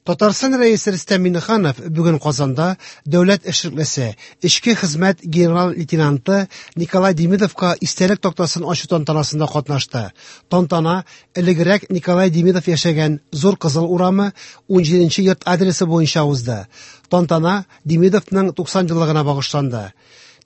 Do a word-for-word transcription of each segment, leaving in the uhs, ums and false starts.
Татарстан Рәисе Рөстәм Миңнеханов бүген Казанда дәүләт эшлеклесе, эчке хезмәт генерал-лейтенанты Николай Демидовка истәлек тактасын ачу тантанасында катнашты. Тантана элегрәк Николай Демидов яшәгән Зур Кызыл урамы унҗиденче йорт адресы буенча узды. Тантана Демидовның туксан еллыгына багышланды.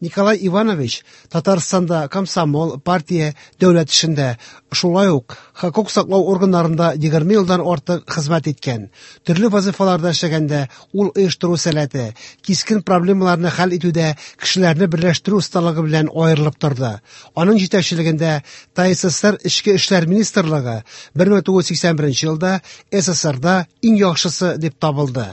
Николай Иванович Татарстанда комсомол, партия, дәүләт эшендә, шулай ук хокук саклау органнарында егерме елдан артык хезмәт иткән. Төрле вазифаларда эшләгәндә ул оештыру сәләте, кискен проблемаларны хәл итүдә кешеләрне берләштерү осталыгы белән аерылып торды. Аның җитәкчелегендә ТАССР Эчке эшләр министрлыгы бер мең тугыз йөз сиксән беренче елда СССРда иң яхшысы дип табылды.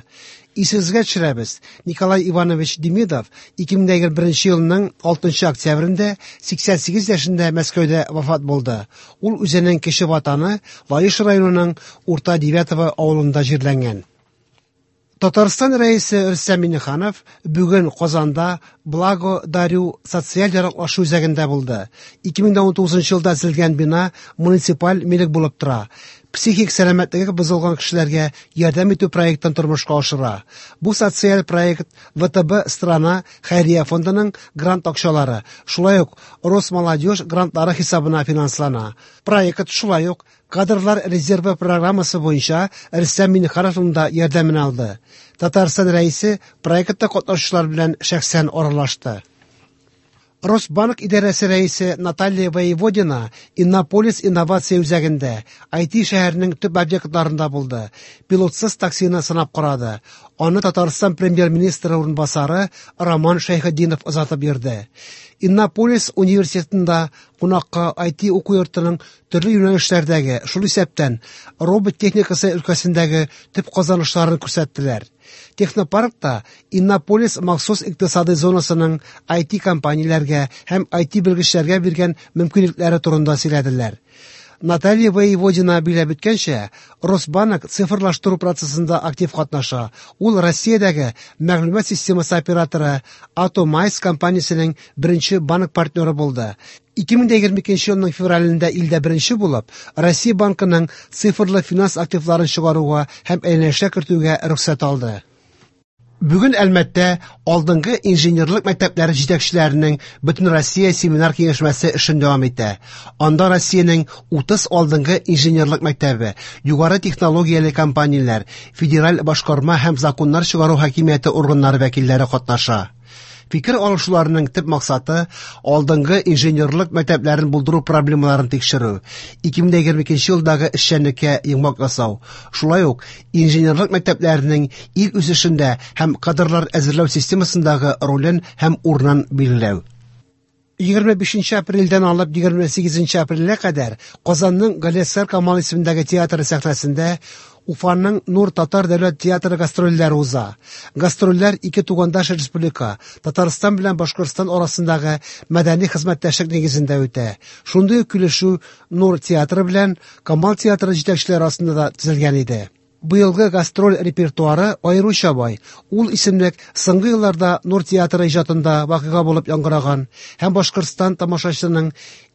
Исегезгә төшерәбез, Николай Иванович Демидов ике мең егерме беренче елның алтынчы октябрендә сиксән сигез яшендә Мәскәүдә вафат булды. Ул үзенең кече ватаны Лаеш районының Урта Девятово авылында җирләнгән. Татарстан Рәисе Рөстәм Миңнеханов бүген Казанда Благо Дарю социаль яраклашу үзәгендә булды. Ике мең ун тугызынчы елда төзелгән бина муниципаль милек булып тора. Психик сәламәтлеге бозылган кешеләргә ярдәм итү проектын тормышка ашыра. Бу социаль проект вэ тэ бэ Страна хәйрия фондының грант акчалары, шулай ук Росмолодежь грантлары хисабына финанслана. Проект шулай ук кадрлар резервы программасы буенча Рөстәм Миңнехановның да ярдәмен алды. Татарстан Рәисе проектта катнашучылар белән шәхсән аралашты. Росбанк идарәсе рәисе Наталья Воеводина Иннополис инновация үзәгендә ай ти шәһәренең төп объектларында булды. Пилотсыз таксины сынап карады. Аны Татарстан премьер-министры урынбасары Роман Шәйхетдинов озатып йөрде. Иннополис университетында кунакка ай ти уку йортының төрле юнәлешләрдәге, шул исәптән робот техникасы өлкәсендәге төп казанышларын күрсәттеләр. Технопаркта Иннополис махсус икътисади зонасының ай ти компанияләргә һәм ай ти белгечләргә биргән мөмкинлекләре турында сөйләделәр. Наталья Воеводина биләп үткәнчә, Росбанк цифрлаштыру процессында актив катнаша. Ул Россиядәге мәгълүмат системасы операторы Atomyze компаниясенең беренче банк партнеры булды. Ике мең егерме икенче елның февралендә илдә беренче булып, Россия банкының цифрлы финанс активларын чыгаруга һәм әйләнешкә кертүгә рөхсәт алды. Бүген Әлмәттә алдынгы инженерлык мәктәпләре җитәкчеләренең Бөтенроссия семинар киңәшмәсе эшен дәвам итә. Анда Россиянең утыз алдынгы инженерлык мәктәбе, югары технологияле компанияләр, федераль башкарма һәм законнар чыгару хакимияте органнары вәкилләре катнаша. Фикер алышуларының төп максаты алдынгы инженерлык мәктәпләрен булдыру проблемаларын тикшерү, ике мең егерме икенче елдагы эшчәнлеккә йомгак ясау, шулай ук инженерлык мәктәпләренең ил үсешендә һәм кадрлар әзерләү системасындагы ролен һәм урынын билгеләү. Егерме бишенче апрельдән алып егерме сигезенче апрельгә кадәр Казанның Галиәсгар Камал исемендәге театры сәхнәсендә Уфаның Нур татар дәүләт театры гастрольләре уза. Гастрольләр ике тугандаш республика, Татарстан белән Башкортстан арасындагы мәдәни хезмәттәшлек нигезендә үтә. Шундый ук килешү Нур театры белән Камал театры җитәкчеләре арасында да төзелгән иде. Быелгы гастроль репертуары аеруча бай. Ул исемлек соңгы елларда Нур театры иҗатында вакыйга булып яңгыраган һәм Башкортстан тамашачысының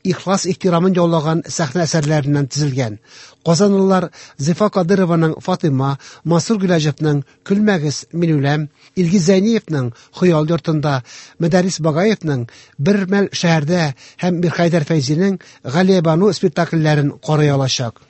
ихлас ихтирамын яулаган сәхнә әсәрләреннән төзелгән. Казанлылар Зифа Кадырованың Фатима, Мансур Гыйләҗевнең Көлмәгез, мин үләм, Илгиз Зәйниевнең Хыял йортында, Мөдәррис Багаевның Бер мәл шәһәрдә һәм Мирхәйдәр Фәйзинең Галиябану спектакльләрен карый алачак.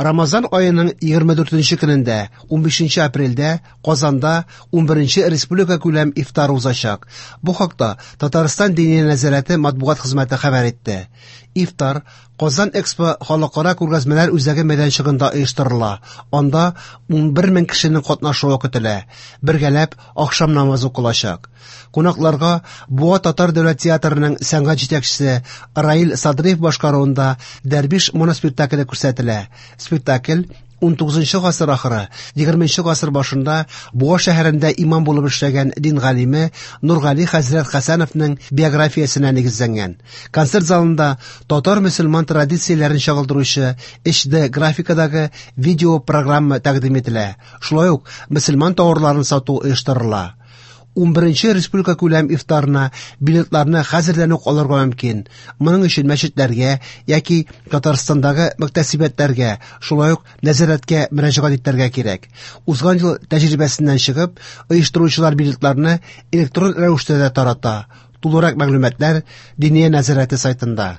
Рамазан аеның егерме дүртенче көнендә, унбишенче апрельдә Казанда унберенче республика күләм ифтар узачак. Бу хакта Татарстан Диния нәзарәте матбугат хезмәте хәбәр итте. Ифтар Казан Экспо халыкара күргәзмәләр үзәге мәйданчыгында оештырыла. Анда унбер мең кешенең катнашуы көтелә. Бергәләп ахшам намазы укылачак. Кунакларга Буа татар дәүләт театрының сәнгать җитәкчесе Раил Садриев башкаруында Дәрвиш моноспектакле күрсәтелә. Спектакль ун тугызынчы гасыр ахыры, егерменче гасыр башында Буа шәһәрендә имам булып эшләгән дин галиме Нургали хәзрәт Хәсәновның биографиясенә нигезләнгән. Концерт залында татар мөселман традицияләрен чагылдыручы эйч ди графикадагы видео программа тәкъдим ителә. Шулай ук мөселман тауарларын сату оештырыла. Унберенче республика күләм ифтарына билетларны хәзердән үк алырга мөмкин. Моның өчен мәчетләргә яки Татарстандагы мөхтәсибәтләргә, шулай ук нәзарәткә мөрәҗәгать итәргә кирәк. Узган ел тәҗрибәсеннән чыгып, оештыручылар билетларны электрон рәвештә дә тарата. Тулырак мәгълүматлар Диния нәзарәте сайтында.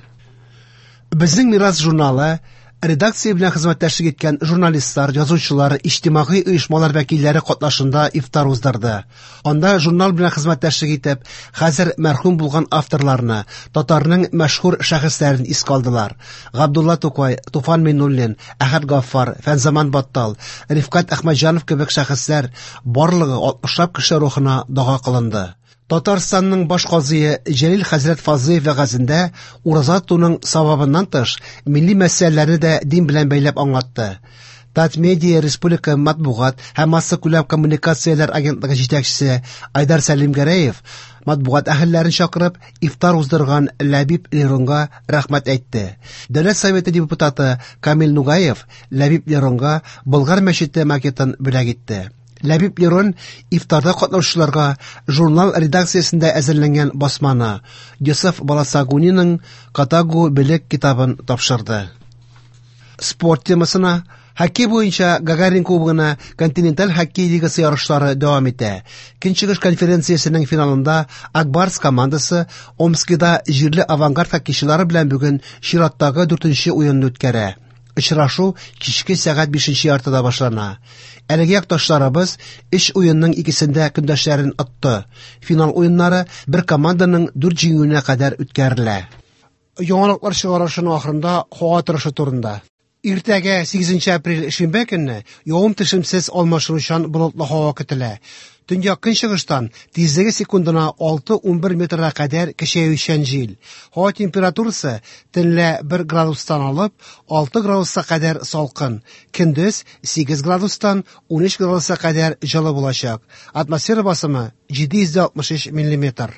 Безнең Мирас журналы редакция белән хезмәттәшлек иткән журналистлар, язучылар, иҗтимагый оешмалар вәкилләре катнашында ифтар уздырды. Анда журнал белән хезмәттәшлек итеп, хәзер мәрхүм булган авторларны, татарның мәшһүр шәхесләрен искә алдылар. Габдулла Тукай, Туфан Миңнуллин, Әхәт Гаффар, Фәнзаман Баттал, Рифкать Әхмәтҗанов кебек шәхесләр барлыгы алтмышлап кеше рухына дога кылынды. Татарстанның баш казые Җәлил хәзрәт Фазлыев вәгазендә ураза тотуның савабыннан тыш, милли мәсьәләләрне дә дин белән бәйләп аңлатты. Татмедиа республика матбугат һәм массакүләм коммуникацияләр агентлыгы җитәкчесе Айдар Сәлимгәрәев матбугат әһелләрен чакырып, ифтар уздырган Ләбиб Леронга рәхмәт әйтте. Дәүләт Советы депутаты Камил Нугаев Ләбиб Леронга Болгар мәчете макетын бүләк итте. Ләбиб Лерон ифтарда катнашучыларга журнал редакциясендә әзерләнгән басманы, Йосыф Баласагуниның Катагу Белек китабын тапшырды. Спорт темасына хоккей буенча Гагарин кубогына континенталь хоккей лигасы ярышлары дәвам итә. Көнчыгыш конференциясенең финалында Акбарс командасы Омскида җирле авангард хоккейчылары белән бүген чираттагы дүртенче уенны үткәрә. Очрашу кичке сәгать бишенче яртыда башлана. Әлеге якташларыбыз өч уенның икесендә көндәшләрен отты. Финал уеннары бер команданың дүрт җиңүенә кадәр үткәрелә. Яңалыклар чыгарышының ахырында һава торышы турында. Иртәгә сигезенче апрель шимбә көнне явым-төшемсез алмашынучан болытлы һава көтелә. Төньяк көнчыгыштан тизлеге секундына алты унбер метрга кадәр көчәючән җил. Һава температурасы төнлә бер градустан алып алты градуска кадәр салкын, көндез сигез градустан унөч градуска кадәр җылы булачак. Атмосфера басымы җиде йөз алтмыш өч миллиметр.